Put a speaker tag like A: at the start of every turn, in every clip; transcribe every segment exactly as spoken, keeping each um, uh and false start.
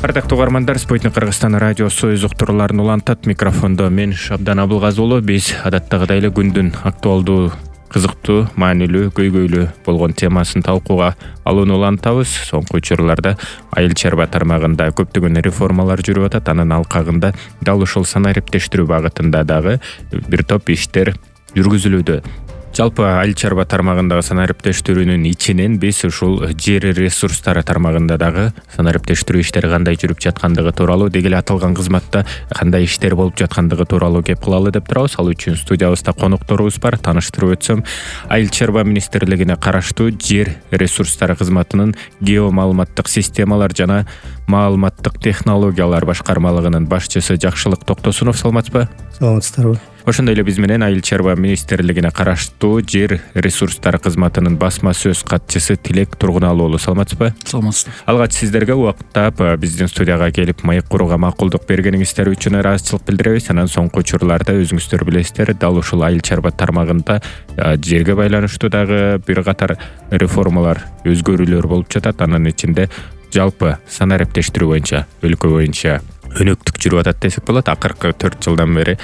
A: Ардактуу угармандар, Спутник Кыргызстан радиосу өз уктурууларын улантат. Микрофондо мен Шабдан Абылгазы уулу. Биз адаттагыдай эле күндүн актуалдуу, кызыктуу, маанилүү, көйгөйлүү болгон темасын талкууга алууну улантабыз. Соңку учурларда айыл чарба тармагында көптөгөн реформалар жүрүп атат. Анын алкагында дал ушул санариптештирүү багытында дагы бир топ иштер жүргүзүлүүдө. Жалпы айыл чарба тармагындагы санариптештирүүнүн ичинен биз ушул жер ресурстары тармагында дагы санариптештирүү иштери кандай жүрүп жаткандыгы тууралуу, деги эле аталган кызматта кандай иштер болуп жаткандыгы тууралуу кеп кылалы деп турабыз. Ал үчүн студиябызда конокторубуз бар. Тааныштырып өтсөм, айыл чарба министрлигине караштуу жер ресурстары кызматынын геомаалыматтык системалар жана маалыматтык технологиялар башкармалыгынын башчысы Жакшылык Токтосунов. Саламатсызбы?
B: Саламатсыздарбы?
A: Ошондой эле биз менен айыл чарба министрлигине караштуу жер ресурстары кызматынын басма сөз катчысы Тилек Тургуналуу уулу. Саламатсызбы?
C: Саламатсыз.
A: Алгач сиздерге убактап биздин студияга келип маек курууга макулдук бергениңиздер үчүн ыраазычылык билдиребиз. Анан соңку учурларда өзүңүздөр билесиздер, дал ушул айыл чарба тармагында жерге байланыштуу дагы бир катар реформалар, өзгөрүүлөр болуп жатат. Анын ичинде жалпы санариптештирүү боюнча, өлкө боюнча өнөктүк жүрүп атат десек болот. Акыркы төрт жылдан бери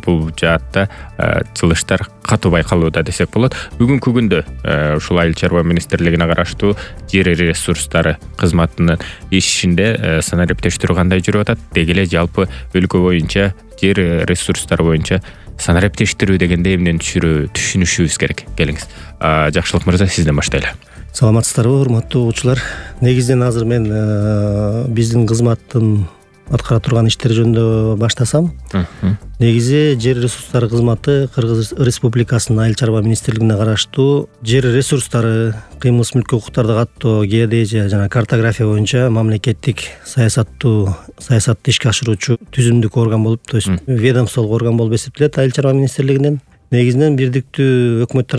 A: бул жаатта чылыштар катуу байкалууда десек болот. Бүгүнкү күндө ушул айыл чарба министрлигине караштуу жер ресурстары кызматынын ишинде санариптештирүү кандай жүрүп атат? Деги эле жалпы өлкө боюнча жер ресурстары боюнча санариптештирүү дегенде эмнени түшүнүшүбүз керек? Келиңиз. Жакшылык мырза, сизден баштайлы.
B: Саламатсыздарбы, урматтуу угуучулар? Негизинен азыр мен биздин кызматтын аткара турган иштери жөнүндө баштасам. Негизи жер ресурстары кызматы Кыргыз Республикасынын айыл чарба министрлигине караштуу жер ресурстары, кыймылсыз мүлккө укуктарды каттоо, геодезия жана картография боюнча мамлекеттик саясаттуу саясатты ишке ашыруучу түзүмдүк орган болуп, то есть ведомстволук орган болуп эсептелет айыл чарба министрлигинен. Негизинен бирдиктүү өкмөт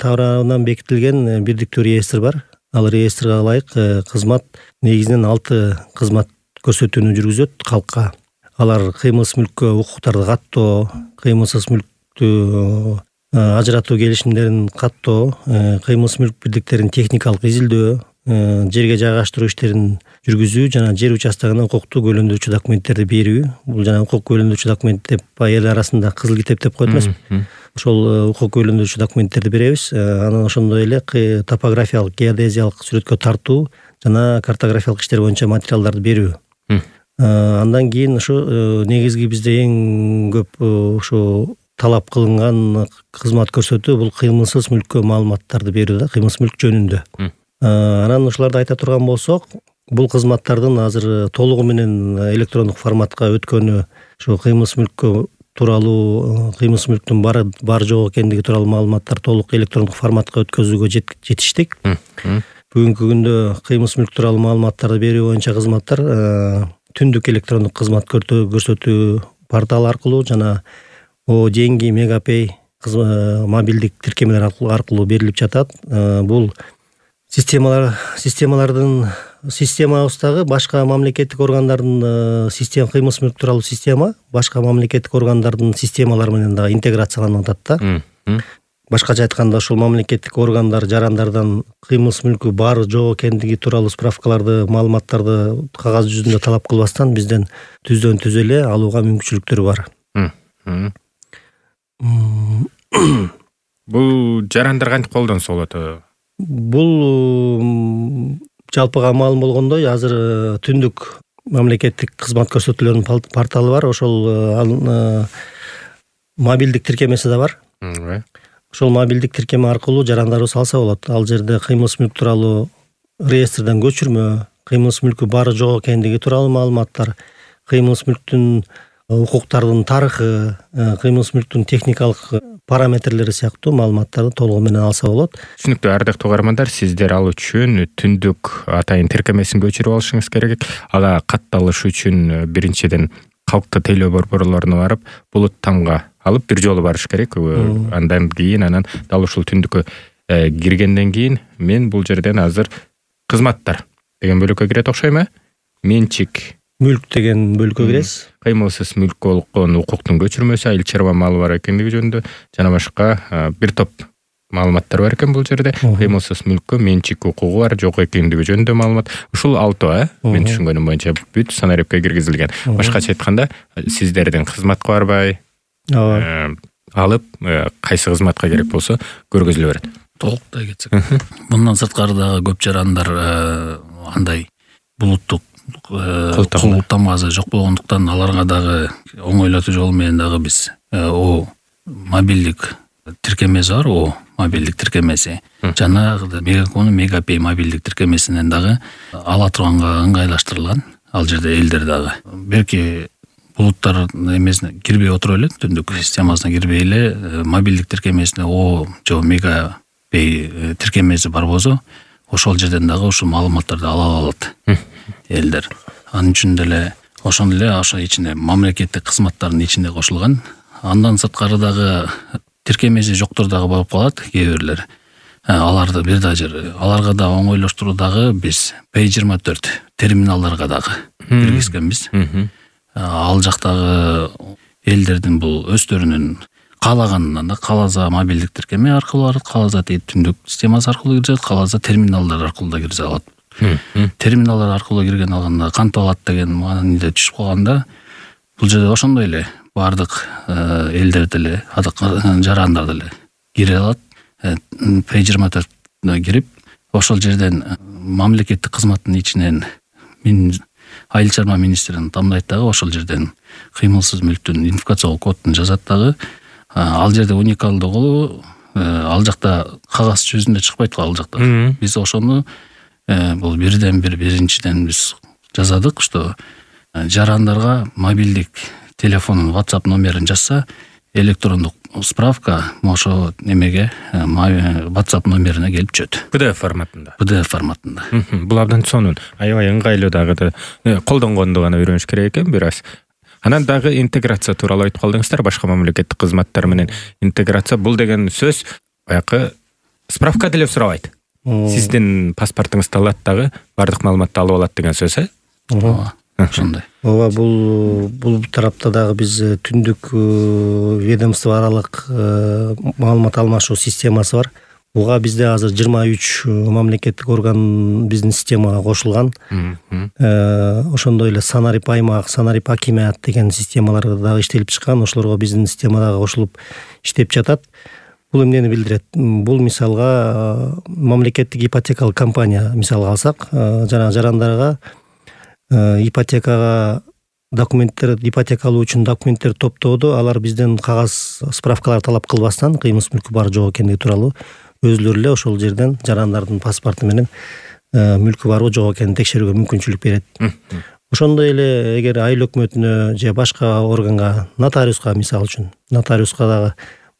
B: тарабынан бекитилген бирдиктүү реестр бар. Ал реестрге ылайык кызмат негизинен алты кызмат көрсөтүүнү жүргүзөт калкка. Алар кыймылсыз мүлккө укуктарды каттоо, кыймылсыз мүлктү ажыратуу келишимдерин каттоо, кыймылсыз мүлк бирдиктерин техникалык изилдөө, жерге жайгаштыруу иштерин жүргүзүү жана жер участогуна укукту куөлөндүрүүчү документтерди берүү. Бул жана укук куөлөндүрүүчү документ деп эл арасында кызыл китеп деп коет эмеспи? Ошол укук куөлөндүрүүчү документтерди беребиз. Анан ошондой эле топографиялык, геодезиялык сүрөткө тартуу жана картографиялык иштер боюнча материалдарды берүү. Андан кийин ушу негизги бизде эң көп ушу талап кылынган кызмат көрсөтүү бул кыймылсыз мүлккө маалыматтарды берүү да, кыймылсыз мүлк жөнүндө. Анан ушуларды айта турган болсок, бул кызматтардын азыр толугу менен электрондук форматка өткөнү, ушу кыймылсыз мүлккө тууралуу, кыймылсыз мүлктүн бар бар жок экендиги тууралуу маалыматтар толук электрондук форматка өткөзүүгө жетиштик. Бүгүнкү күндө кыймылсыз мүлк тууралуу маалыматтарды берүү боюнча кызматтар түндүк электрондук кызмат көрсөтүү порталы аркылуу жана о деньги, мегапей мобилдик тиркемелер аркылуу берилип жатат. Бул системалар системалардын системабыздагы башка мамлекеттик органдардын система, кыймылсыз мүлк тууралуу система башка мамлекеттик органдардын системалары менен дагы интеграцияланып атат да. Башкача айтканда, ушул мамлекеттик органдар, жарандардан кыймылсыз мүлкү бар жок экендиги тууралуу справкаларды, маалыматтарды кагаз жүзүндө талап кылбастан бизден түздөн түз эле алууга мүмкүнчүлүктөр бар.
A: Бул жарандар кантип колдонсо болот?
B: Бул жалпыга маалым болгондой, азыр түндүк мамлекеттик кызмат көрсөтүүлөрүнүн порталы бар. Ошол мобилдик тиркемеси да бар. Ошол мобилдик тиркеме аркылуу жарандарыбыз алса болот. Ал жерде кыймылсыз мүлк тууралуу реестрден көчүрмө, кыймылсыз мүлкү бар жок экендиги тууралуу маалыматтар, кыймылсыз мүлктүн укуктардын тарыхы, кыймылсыз мүлктүн техникалык параметрлери сыяктуу маалыматтарды толугу менен алса болот.
A: Түшүнүктүү. Ардактуу угармандар, сиздер ал үчүн түндүк атайын тиркемесин көчүрүп алышыңыз керек. Ага катталыш үчүн биринчиден калктуу тейлөө борборлоруна барып, булут тамга алып бир жолу барыш керек. Андан кийин анан дал ушул түндүккө киргенден кийин мен бул жерден азыр кызматтар деген бөлүккө кирет окшойм э? Менчик
B: мүлк деген бөлүккө киресиз.
A: Кыймылсыз мүлккө болгон укуктун көчүрмөсү, айыл чарба малы бар экендиги жөнүндө жана башка бир топ маалыматтар бар экен бул жерде. Кыймылсыз мүлккө менчик укугу бар, жок экендиги жөнүндө маалымат. Ушул алтоо, э? Мен түшүнгөнүм боюнча бүт санариптке киргизилген. Башкача айтканда, сиздердин кызматка барбай, алып, кайсы кызматка керек болсо көргөзүлө берет.
C: Толуктай кетсек. Мындан сырткары дагы көп жарандар андай булуттук култамасы жок болгондуктан аларга дагы оңойлотуу жолу менен дагы биз о мобилдик тиркемеси бар, о мобилдик тиркемеси. Жанагы Мегакомдун Мегапей мобилдик тиркемесинен дагы ала турганга ыңгайлаштырылган. Ал жерде элдер дагы белки булуттар эмесине кирбей отуруп эле, түндүк системасына кирбей эле мобилдик тиркемесине о же Мегапей тиркемеси бар болсо, ошол жерден дагы ушул маалыматтарды ала алат элдер. Анын үчүн деле ошондо эле ошо ичине мамлекеттик кызматтардын ичинде кошулган. Андан сырткары дагы тиркемеси жоктор дагы болуп калат кээ бирлер. Аларды бир да жер, аларга да оңойлоштуруу дагы биз пэй жыйырма төрт терминалдарга дагы киргизгенбиз. Ал жактагы элдердин бул өздөрүнүн каалаганынан да кааласа мобилдик тиркеме аркылуу, кааласа түндүк системасы аркылуу киришет, кааласа терминалдар аркылуу да кирсе алат. Терминалдар аркылуу кирген алганда кантип алат деген мааниде түшүп калганда, бул жерде ошондой эле бардык элдер деле, жарандар деле кире алат. пэй жыйырма төрткө кирип, ошол жерден мамлекеттик кызматтын ичинен мен айыл чарба министрин тамдайт дагы, ошол жерден кыймылсыз мүлктүн идентификациялык кодун жазат дагы. Ал жерде уникалдыгы, ал жакта кагаз жүзүндө чыкпайт ал жакта. Биз ошону бул бирден бир биринчиден биз жазадык, что жарандарга мобилдик телефонун WhatsApp номерин жазса, электрондук справка ошо немеге WhatsApp номерине келип түшөт.
A: пи ди эф форматында.
C: пи ди эф форматында.
A: Бул абдан сонун. Аябай ыңгайлуу дагы колдонгонду гана үйрөнүш керек экен бир аз. Анан дагы интеграция тууралуу айтып калдыңыздар, башка мамлекеттик кызматтар менен интеграция. Бул деген сөз баягы справка деле сурабайт. Сиздин паспортуңузду алат дагы бардык маалыматты алып алат деген сөз, э?
C: Ооба. Ошондой.
B: Ооба, бул бул тарапта дагы биз түндүк ведомство аралык маалымат алмашуу системасы бар. Буга бизде азыр жыйырма үч мамлекеттик орган биздин системага кошулган. Ошондой эле санарип аймак, санарип акимият деген системалар дагы иштелип чыккан. Ошолорго биздин системадагы кошулуп иштеп жатат. Бул эмнени билдирет? Бул мисалга мамлекеттик ипотекалык компания мисалга алсак, жана жарандарга ипотекага документтер, ипотека алуу үчүн документтер топтоодо алар бизден кагаз справкалар талап кылбастан кыймылсыз мүлкү бар жок экендиги тууралуу өзүлөрү эле ошол жерден жарандардын паспорту менен мүлкү барбы жок экенин текшерүүгө мүмкүнчүлүк берет. Ошондой эле эгер айыл өкмөтүнө же башка органга, нотариуска мисалы үчүн, нотариуска дагы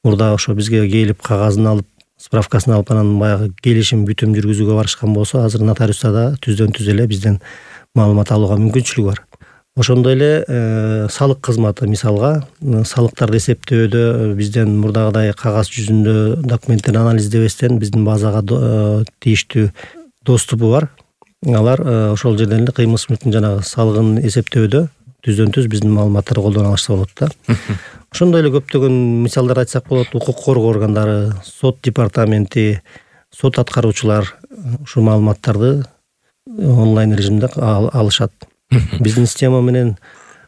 B: мурда ошо бизге келип кагазын алып, справкасын алып, анан баягы келишим бүтүм жүргүзүүгө барышкан болсо, азыр нотариуста да түздөн түз эле бизден маалымат алууга мүмкүнчүлүгү бар. Ошондой эле салык кызматы мисалга, салыктарды эсептөөдө бизден мурдагыдай кагаз жүзүндө документтерди анализдебестен биздин базага тийиштүү доступу бар. Алар ошол жерден эле кыймылсыз мүлктүн жанагы салыгын эсептөөдө түздөн түз биздин маалыматтарды колдоно алышса болот да. Ошондой эле көптөгөн мисалдар айтсак болот. Укук коргоо органдары, сот департаменти, сот аткаруучулар ушул маалыматтарды онлайн режимде алышат. Биздин система менен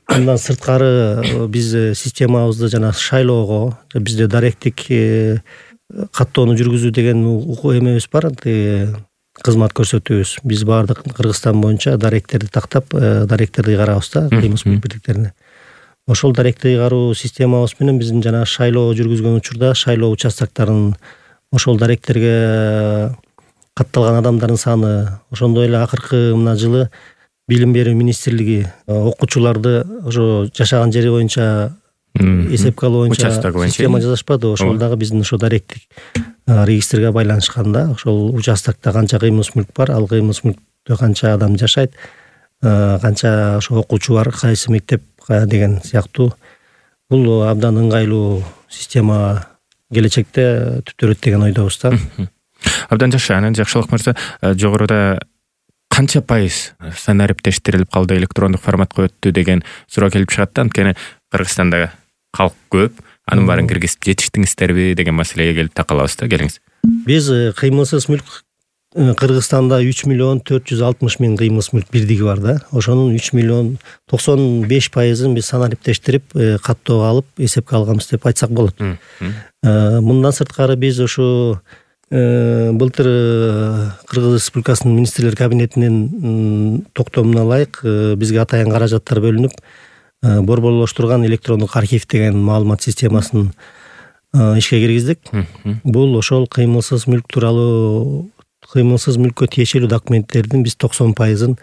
B: андан сырткары биз системабызды жана шайлоого, бизде даректик каттоону жүргүзүү деген укук эмебиз бар, кызмат көрсөтүүбүз. Биз баардык Кыргызстан боюнча даректерди тактап, даректерди карабыз да, кыймылсыз мүлк бирликтерине. Ошол даректи кароо системабыз менен биздин жана шайлоо жүргүзгөн учурда шайлоо участоктарынын ошол даректерге катталган адамдардын саны, ошондой эле акыркы мына жылы Билим берүү министрлиги окуучуларды ошо жашаган жери боюнча эсепке алуу боюнча система жасашпады. Ошол дагы биздин ошо даректик регистрге байланышканда, ошол участокто канча кыймылсыз мүлк бар, ал кыймылсыз мүлктө канча адам жашайт, канча ошо окуучу бар, кайсы мектеп деген сыяктуу. Бул абдан ыңгайлуу система келечекте түптөрөт деген ойдобуз да.
A: Абдан жакшы. Анан Жакшылык мырза, жогоруда канча пайыз санариптештирилип калды, электрондук форматка өттү деген суроо келип чыгат да. Анткени Кыргызстанда калк көп, анын баарын киргизип жетиштиңиздерби деген маселеге келип такалабыз да. Келиңиз.
B: Биз кыймылсыз мүлк Кыргызстанда үч миллион төрт жүз алтымыш миң кыймылсыз мүлк бирдиги бар да. Ошонун үч миллион токсон беш пайызын биз санариптештирип, каттоого алып, эсепке алганбыз деп айтсак болот. Мындан сырткары биз ошо былтыр Кыргыз Республикасынын министрлер кабинетинин токтомуна ылайык бизге атайын каражаттар бөлүнүп, борборлоштурган электрондук архив деген маалымат системасын ишке киргиздик. Бул ошол кыймылсыз мүлк тууралуу кыймылсыз мүлккө тиешелүү документтердин биз токсон пайызын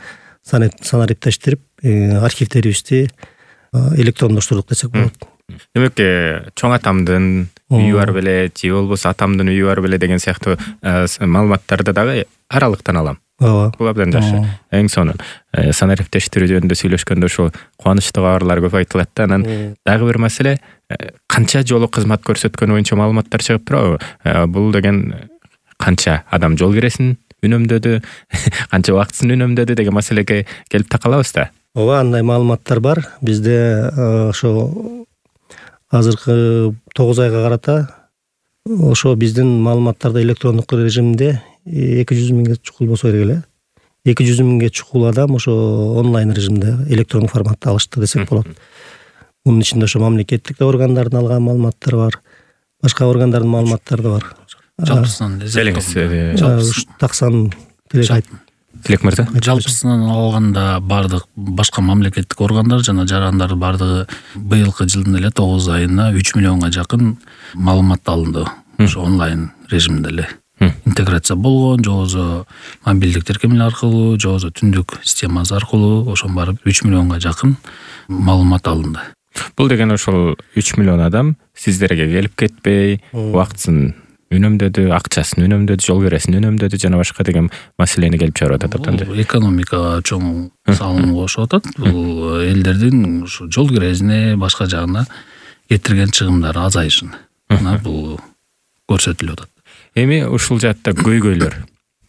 B: санариптештирип, архивдерибизди электрондоштурдук десек болот.
A: Демек, чоң атамдын үйү бар беле, же болбосо атамдын үйү бар беле деген сыяктуу маалыматтарды дагы аралыктан алам.
B: Ооба.
A: Бул абдан жакшы. Эң сонун санариптештирүү жөнүндө сүйлөшкөндө ошо кубанычтуу кабарлар көп айтылат да. Анан дагы бир маселе, канча жолу кызмат көрсөткөн боюнча маалыматтар чыгып турабы? Бул деген канча адам жол киресин үнөмдөдү, канча убактысын үнөмдөдү деген маселеге келип такалабыз да.
B: Ооба, андай маалыматтар бар. Бизде ошо азыркы тогуз айга карата ошо биздин маалыматтарды электрондук режимде эки жүз миңге чукул болсо керек эле. эки жүз миңге чукул адам ошо онлайн режимде электрондук форматта алышты десек болот. Мунун ичинде ошо мамлекеттик органдардын алган маалыматтары бар, башка органдардын маалыматтары да бар.
C: Жалпысынан
B: Жалпысынан таксан Тилек
A: Тилек мырза.
C: Жалпысынан алганда бардык башка мамлекеттик органдар жана жарандар бардыгы быйылкы жылдын эле тогуз айына үч миллионго жакын маалымат алынды. Ошо онлайн режимде эле интеграция болгон, же болбосо мобилдик тиркемелер аркылуу, же болбосо түндүк системасы аркылуу ошон барып үч миллионго жакын маалымат алынды.
A: Бул деген ошол үч миллион адам сиздерге келип кетпей, убактысын үнөмдөдү, акчасын үнөмдөдү, жол киресин үнөмдөдү жана башка деген маселени келип чыгарып атат да.
C: Бул экономикага чоң салым кошуп атат. Бул элдердин ушу жол киресине, башка жагына кетирген чыгымдары азайышын. Мына бул көрсөтүлүп атат.
A: Эми ушул жаатта көйгөйлөр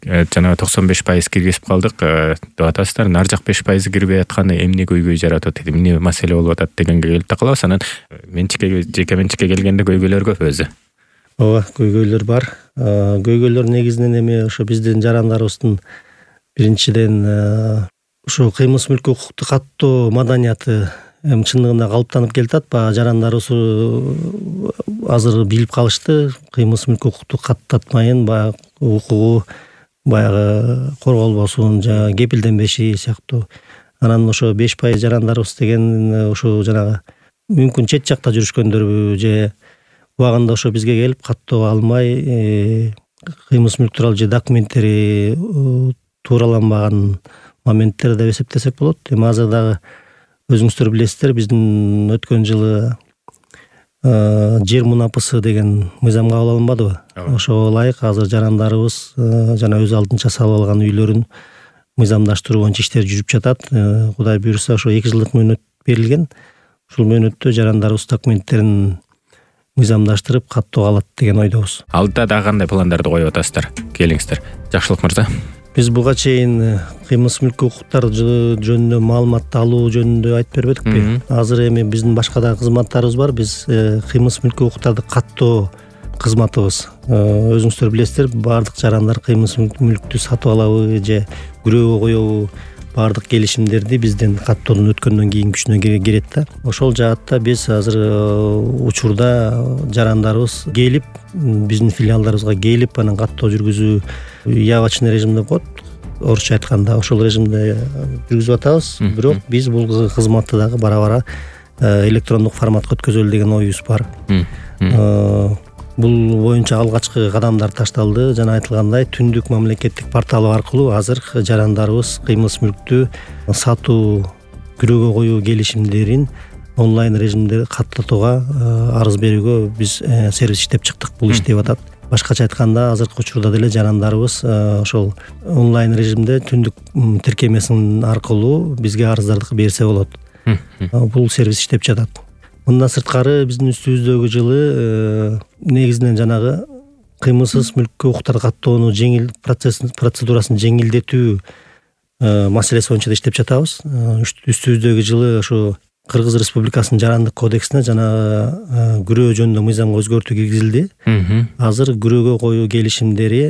A: жана токсон беш пайыз киргизип калдык деп атасыздар. Ар жак беш пайыз кирбей атканы эмне көйгөй жаратып атат, эмне маселе болуп атат дегенге келип такалабыз. Анан менчикке, жеке менчикке келгенде көйгөйлөр көп өзү.
B: Ооба, көйгөйлөр бар. Көйгөйлөр негизинен эми ошо биздин жарандарыбыздын биринчиден ошо кыймылсыз мүлккө укукту каттоо маданияты эми чындыгында калыптанып келатат. Баягы жарандарыбыз азыр билип калышты, кыймылсыз мүлккө укукту каттатмайын, баягы укугу баягы корголбосун, жана кепилденбеши сыяктуу. Анан ошо беш пайыз жарандарыбыз деген ошо жанагы мүмкүн чет жакта жүрүшкөндөрбү, же убагында ошо бизге келип каттоо алмай, кыймылсыз мүлк тууралуу же документтери туураланбаган моменттер деп эсептесек болот. Эми азыр дагы өзүңүздөр билесиздер, биздин өткөн жылы жер мунапысы деген мыйзам кабыл алынбадыбы? Ошого ылайык азыр жарандарыбыз жана өз алдынча салып алган үйлөрүн мыйзамдаштыруу боюнча иштер жүрүп жатат. Кудай буйруса ошо эки жылдык мөөнөт берилген. Ушул мөөнөттө жарандарыбыз документтерин мыйзамдаштырып каттоого алат деген ойдобуз.
A: Алдыда дагы кандай пландарды коюп атасыздар? Келиңиздер. Жакшылык мырза.
B: Биз буга чейин кыймылсыз мүлккө укуктар жөнүндө маалымат алуу жөнүндө айтып бербедикпи? Азыр эми биздин башка да кызматтарыбыз бар. Биз кыймылсыз мүлккө укуктарды каттоо кызматыбыз. Өзүңүздөр билесиздер, баардык жарандар кыймылсыз мүлктү сатып алабы же күрөөгө коебу, баардык келишимдерди бизден каттоодон өткөндөн кийин күчүнө кирет да. Ошол жаатта биз азыр учурда жарандарыбыз келип, биздин филиалдарыбызга келип, анан каттоо жүргүзүү явочный режим деп коет, орусча айтканда ошол режимде жүргүзүп атабыз. Бирок биз бул кызматты дагы бара-бара электрондук форматка өткөзөлү деген оюбуз бар. Бул боюнча алгачкы кадамдар ташталды. Жана айтылгандай, түндүк мамлекеттик порталы аркылуу азыр жарандарыбыз кыймылсыз мүлктү сатуу, күрөөгө коюу келишимдерин онлайн режимде каттатууга арыз берүүгө биз сервис иштеп чыктык. Бул иштеп атат. Башкача айтканда, азыркы учурда деле жарандарыбыз ошол онлайн режимде түндүк тиркемесин аркылуу бизге арыздарды берсе болот. Бул сервис иштеп жатат. Мындан сырткары биздин үстүбүздөгү жылы негизинен жанагы кыймылсыз мүлккө укуктарды каттоонун жеңил процедурасын жеңилдетүү маселеси боюнча да иштеп жатабыз. Үстүбүздөгү жылы ошо Кыргыз Республикасынын жарандык кодексине жана күрөө жөнүндө мыйзамга өзгөртүү киргизилди. Азыр күрөөгө коюу келишимдери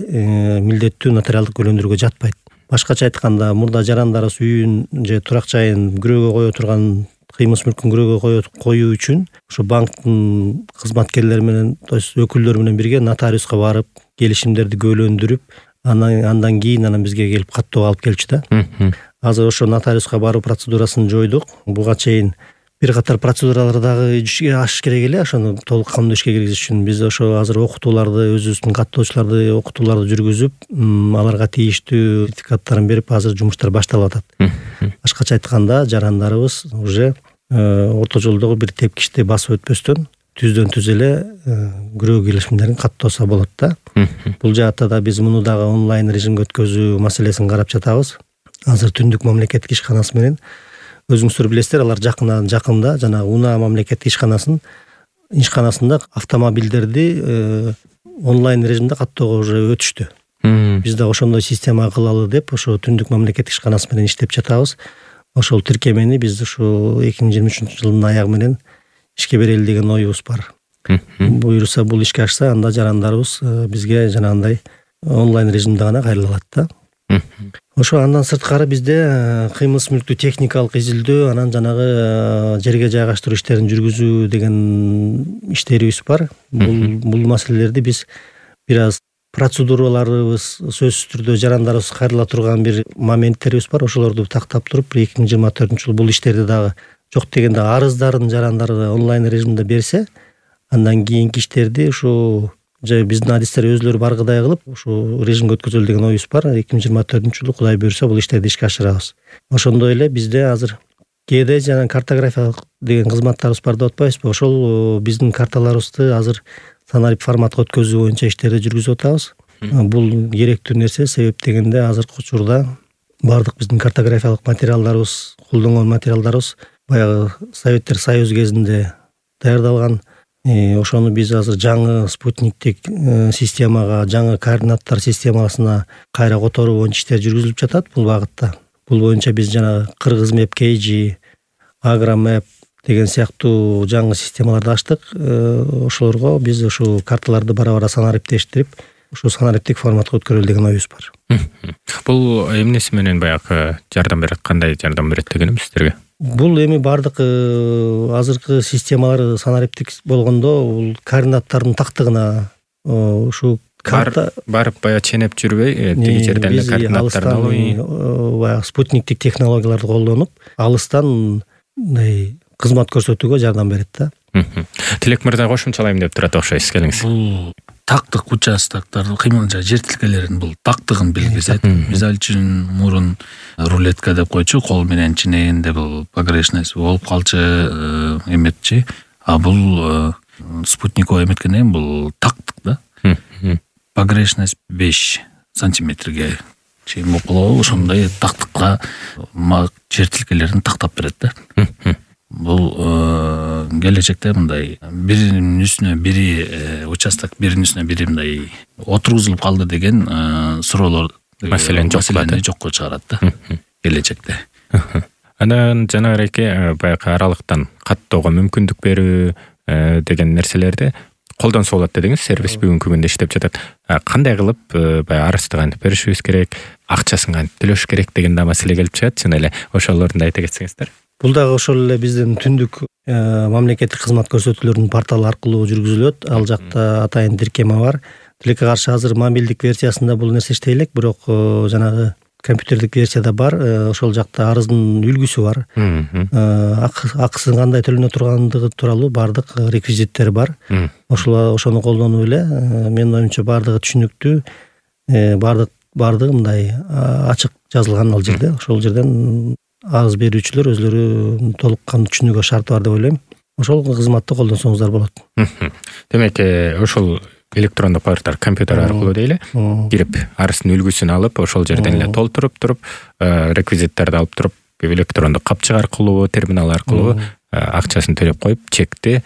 B: милдеттүү нотариалдык көлөндүрүүгө жатпайт. Башкача айтканда, мурда жарандарыбыз үйүн же турак жайын күрөөгө кое турган, кыймылс мүлкүн күрөөгө коюу үчүн ошо банктын кызматкерлери менен, то есть өкүлдөрү менен бирге нотариуска барып, келишимдерди көлөндүрүп, анан андан кийин анан бизге келип каттоо алып келчү да. Азыр ошо нотариуска баруу процедурасын жойдук. Буга чейин бир катар процедуралар дагы ашыш керек эле, ошону толук кандуу ишке киргизиш үчүн биз ошо азыр окутууларды, өзүбүздүн каттоочуларды окутууларды жүргүзүп, аларга тийиштүү сертификаттарын берип, азыр жумуштар башталып атат. Башкача айтканда, жарандарыбыз уже орто жолдогу бир тепкичти басып өтпөстөн түздөн түз эле күрөө келишимдерин каттоосо болот да. Бул жаатта да биз муну дагы онлайн режимге өткөзүү маселесин карап жатабыз. Азыр Түндүк мамлекеттик ишканасы менен, өзүңүздөр билесиздер, алар жакында жакында жана Унаа мамлекеттик ишканасынын ишканасында автомобилдерди онлайн режимде каттоого уже өтүштү. Биз да ошондой система кылалы деп, ошо Түндүк мамлекеттик ишканасы менен иштеп жатабыз. Ошол тиркемени биз ушу эки миң жыйырма үчүнчү жылдын аягы менен ишке берели деген оюбуз бар. Буюрса, бул ишке ашса, анда жарандарыбыз бизге жанагындай онлайн режимде гана кайрыла алат да. Ошо андан сырткары бизде кыймылс мүлктү техникалык изилдөө, анан жанагы жерге жайгаштыруу иштерин жүргүзүү деген иштерибиз бар. Бул бул маселелерди биз бир аз процедураларыбыз сөзсүз түрдө жарандарыбыз кайрыла турган бир моменттерибиз бар. Ошолорду тактап туруп, эки миң жыйырма төртүнчү жылы бул иштерди дагы жок дегенде арыздарын жарандары онлайн режимде берсе, андан кийинки иштерди ушу же биздин адистер өзүлөрү баргыдай кылып, ушу режимге өткөзөлү деген оюбуз бар. эки миң жыйырма төртүнчү жылы Кудай буйрса бул иштерди ишке ашырабыз. Ошондой эле бизде азыр кээде жана картографиялык деген кызматтарыбыз бар деп атпайбызбы? Ошол биздин карталарыбызды азыр санарип форматка өткөзүү боюнча иштерди жүргүзүп атабыз. Бул керектүү нерсе, себеп дегенде азыркы учурда бардык биздин картографиялык материалдарыбыз, колдонгон материалдарыбыз баягы Советтер Союзу кезинде даярдалган. Ошону биз азыр жаңы спутниктик системага, жаңы координаттар системасына кайра которуу боюнча иштер жүргүзүлүп жатат бул багытта. Бул боюнча биз жана Кыргыз Мэп кей джи, Агромэп деген сыяктуу жаңы системаларды ачтык. Ошолорго биз ушу карталарды бара-бара санариптештирип, ушу санариптик форматка өткөрөлү деген оюбуз бар.
A: Бул эмнеси менен баягы жардам берет, кандай жардам берет дегеним сиздерге?
B: Бул эми бардык азыркы системалар санариптик болгондо, бул координаттардын тактыгына ушу карта
A: барып баягы ченеп жүрбөй, тиги жерден эле координаттарды алып,
B: баягы спутниктик технологияларды колдонуп, алыстан мындай кызмат көрсөтүүгө жардам берет да.
A: Тилек мырза кошумчалайм деп турат окшойсуз, келиңиз.
C: Бул тактык участоктор, кыймыл жер тилкелеринин бул тактыгын билгизет. Мисалы үчүн мурун рулетка деп койчу, кол менен чинегенде бул погрешность болуп калчу эметчи. А бул спутниковый эметкенден бул тактык да. Погрешность беш сантиметрге чейин болуп, ошондой тактыкка жер тилкелерин тактап берет да. Бул келечекте мындай биринин үстүнө бири участок, биринин үстүнө бири мындай отургузулуп калды деген суроолор,
A: маселени
C: жокко чыгарат да келечекте.
A: Анан жанагы баягы аралыктан каттоого мүмкүндүк берүү деген нерселерди колдонсо болот дедиңиз. Сервис бүгүнкү күндө иштеп жатат. Кандай кылып баягы арызды кантип беришибиз керек, акчасын кантип төлөш керек деген да маселе келип чыгат. Жана эле ошолорду да айта кетсеңиздер.
B: Бул дагы ошол эле биздин Түндүк мамлекеттик кызмат көрсөтүүлөрүнүн порталы аркылуу жүргүзүлөт. Ал жакта атайын тиркеме бар. Тилекке каршы азыр мобилдик версиясында бул нерсе иштей элек, бирок жанагы компьютердик версияда бар. Ошол жакта арыздын үлгүсү бар. Акысын кандай төлөнө тургандыгы тууралуу бардык реквизиттери бар. Ошол ошону колдонуп эле, менин оюмча бардыгы түшүнүктүү, бардык бардыгы мындай ачык жазылган ал жерде. Ошол жерден арыз берүүчүлөр өзлөрү толук кандуу түшүнүүгө шарты бар деп ойлойм. Ошол кызматты колдонсоңуздар болот.
A: Демек, ошол электрондук паспорттар компьютер аркылуу дейли, кирип арыздын үлгүсүн алып, ошол жерден эле толтуруп туруп, реквизиттерди алып туруп, электрондук капчык аркылуу, терминал аркылуу акчасын төлөп коюп, чекти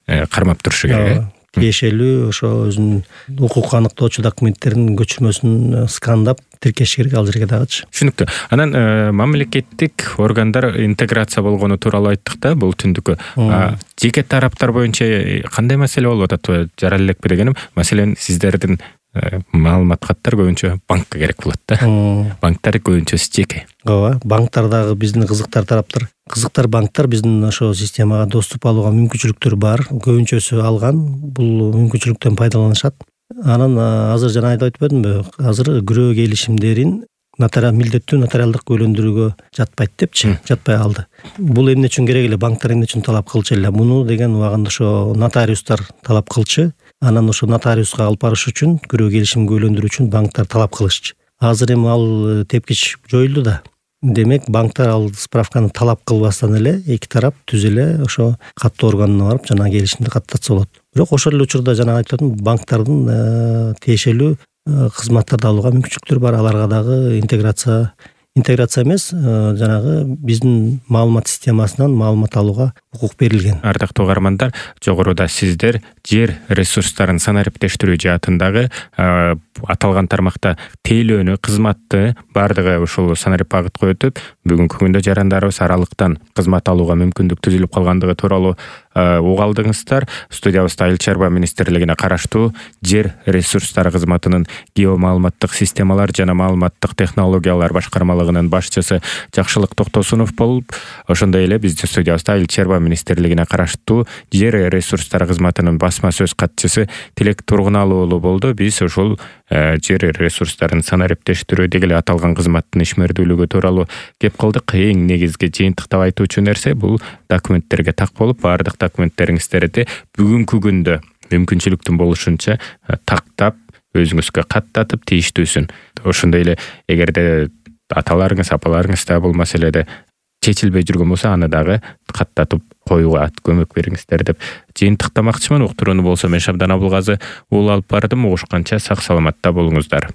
A: кармап турушу керек.
B: тиешелүү ошо өзүнүн укук аныктоочу документтеринин көчүрмөсүн скандап тиркеш керек ал жерге дагычы.
A: Түшүнүктүү. Анан мамлекеттик органдар интеграция болгону тууралуу айттык да бул түндүккө. Жеке тараптар боюнча кандай маселе болуп атат? Жарал элекпи дегеним, маселен сиздердин маалымат каттар көбүнчө банкка керек болот да. Банктар көбүнчөсү жеке.
B: Ооба, банктар дагы биздин кызыктар тараптар. Кызыктар банктар биздин ошо системага доступ алууга мүмкүнчүлүктөр бар. Көбүнчөсү алган, бул мүмкүнчүлүктөн пайдаланышат. Анан азыр жана айтып өтпөдүмбү? Азыр күрөө келишимдерин нотариал милдеттүү нотариалдык үйлөндүрүүгө жатпайт депчи, жатпай калды. Бул эмне үчүн керек эле? Банктар эмне үчүн талап кылчу эле? Муну деген убагында ошо нотариустар талап кылчу. Анан ошо нотариуска алып барыш үчүн, күрөө келишимге үйлөндүрүү үчүн банктар талап кылышчу. Азыр эми ал тепкич жоюлду да. Демек банктар ал справканы талап кылбастан эле эки тарап түз эле ошо каттоо органына барып жана келишимди каттатса болот. Бирок ошол эле учурда жана айтып атам, банктардын тиешелүү кызматтарды алууга мүмкүнчүлүктөр бар. Аларга дагы интеграция интеграция эмес, жанагы биздин маалымат системасынан маалымат алууга укук берилген.
A: Ардактуу угармандар, жогоруда сиздер жер ресурстарын санариптештирүү жаатындагы аталган тармакта тейлөөнү, кызматты баардыгы ушул санарипагытка өтүп, бүгүнкү күндө жарандарыбыз аралыктан кызмат алууга мүмкүндүк түзүлүп калгандыгы тууралуу уга алдыңыздар. Студиябызда Айыл чарба министрлигине караштуу жер ресурстары кызматынын геомаалыматтык системалар жана маалыматтык технологиялар башкармалыгынын башчысы Жакшылык Токтосунов болуп, ошондой эле биздин студиябызда Айыл чарба министрлигине караштуу жер ресурстары кызматынын басма сөз катчысы Тилек Тургуналуу уулу болду. Биз ушул жер ресурстарын санариптештирүү деги эле аталган кызматтын ишмердүүлүгү тууралуу кеп кылдык. Эң негизги жыйынтыктап айтуучу нерсе бул документтерге так болуп, баардык документтериңиздерди бүгүнкү күндө мүмкүнчүлүктүн болушунча тактап, өзүңүзгө каттатып, тийиштүүсүн. Ошондой эле эгерде аталарыңыз, апаларыңыз да бул маселеде чечилбей жүргөн болсо, аны дагы каттатып коюуга көмөк бериңиздер деп жыйынтыктамакчымын. Уктурууну болсо мен Шабдан Абылгазы уулу алып бардым. Угушканча сак саламатта болуңуздар.